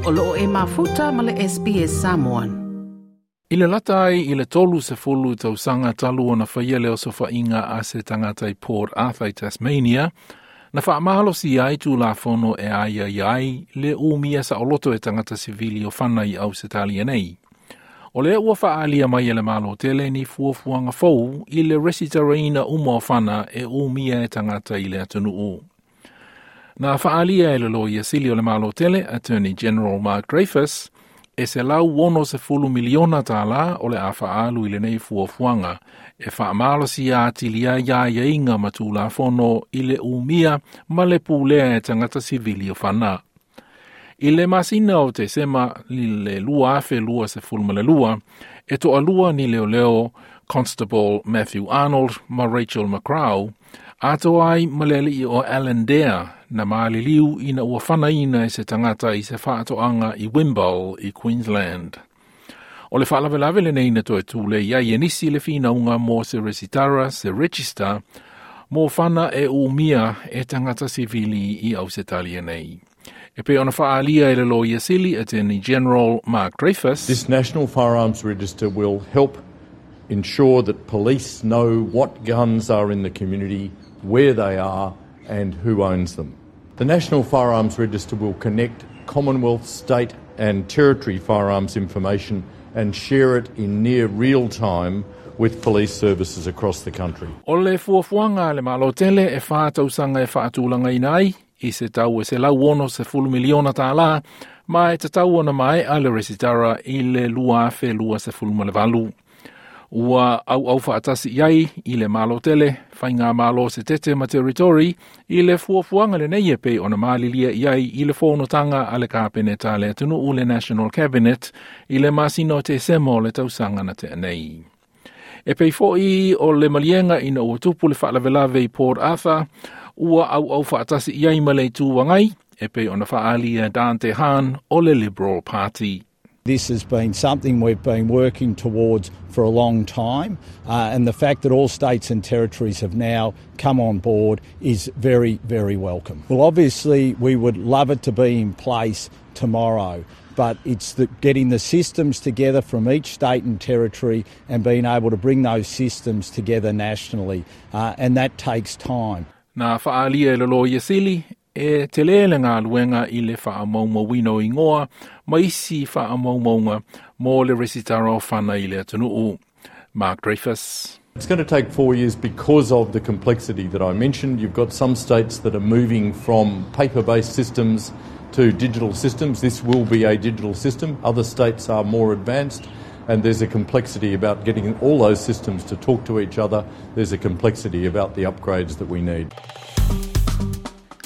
O loo e mafuta ma le SBS Samoan. I le lata ai i le 30 tausaga talu ona faia le osofaiga a se tagata i Port Arthur i Tasmania, na faamalosia ai Tulafono e aiaia ai le umia saoloto e tagata sivili o fana i Ausetalia nei. O lea ua faaalia mai e le Malo tele ni fuafuaga fou i le resitaraina uma o fana e umia e tagata i le atunuu. Na faaalia e le Loia Sili o le Malo tele, Attorney General Mark Dreyfus, e $160 miliona tālā o le a faaalu i lenei fuafuaga e faamalosia atili ai aiaiga ma Tulafono i le umia ma le pulea e tagata sivili o fana. I le masina o Tesema i le 2022, e toalua ni leoleo Constable Matthew Arnold ma Rachel McCrow, atoa ai ma le alii o Alan Dare na maliliu ina ua fanaina e se tagata i se faatoaga i Wimble i Queensland. O le faalavelave lenei na toe tulei ai e nisi le finauga mo se resitara se register mo fana e umia e tagata sivili i Ausetalia nei. E pei ona faaalia e le Loia Sili Attorney General Mark Dreyfus. This National Firearms Register will help ensure that police know what guns are in the community, where they are, and who owns them. The National Firearms Register will connect Commonwealth, state, and territory firearms information and share it in near real time with police services across the country. O le fuafuaga a le Malo tele e 4 tausaga e faatulagaina ai i se tau e $160 miliona tālā ma e tatau ona maea le resitara i le 2028. Ua auau faatasi i ai i le Malo tele, faigamalo setete ma territory i le fuafuaga lenei e pei ona malilia i ai i le fonotaga a le Kapeneta a le atunuu le National Cabinet i le masina o Tesema o le tausaga na tea nei. E pei foi o le maliega ina ua tupu le faalavelave i Port Arthur, ua auau faatasi i ai ma le Itu Agai, e pei ona faaalia Dante Hahn o le Liberal Party. This has been something we've been working towards for a long time, and the fact that all states and territories have now come on board is very, very welcome. Well, obviously, we would love it to be in place tomorrow, but it's getting the systems together from each state and territory and being able to bring those systems together nationally, and that takes time. Na faaalia e le Loia Sili e tele le galuega i le faamaumauina o igoa ma isi faamaumauga mo le resitara o fana i le atunuu. Mark Dreyfus. It's going to take 4 years because of the complexity that I mentioned. You've got some states that are moving from paper based systems to digital systems. This will be a digital system. Other states are more advanced, and there's a complexity about getting all those systems to talk to each other. There's a complexity about the upgrades that we need.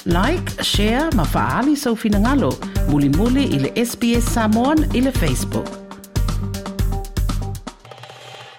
Like, share ma faaali sou finagalo. Mulimuli i le SBS Samoan i le Facebook.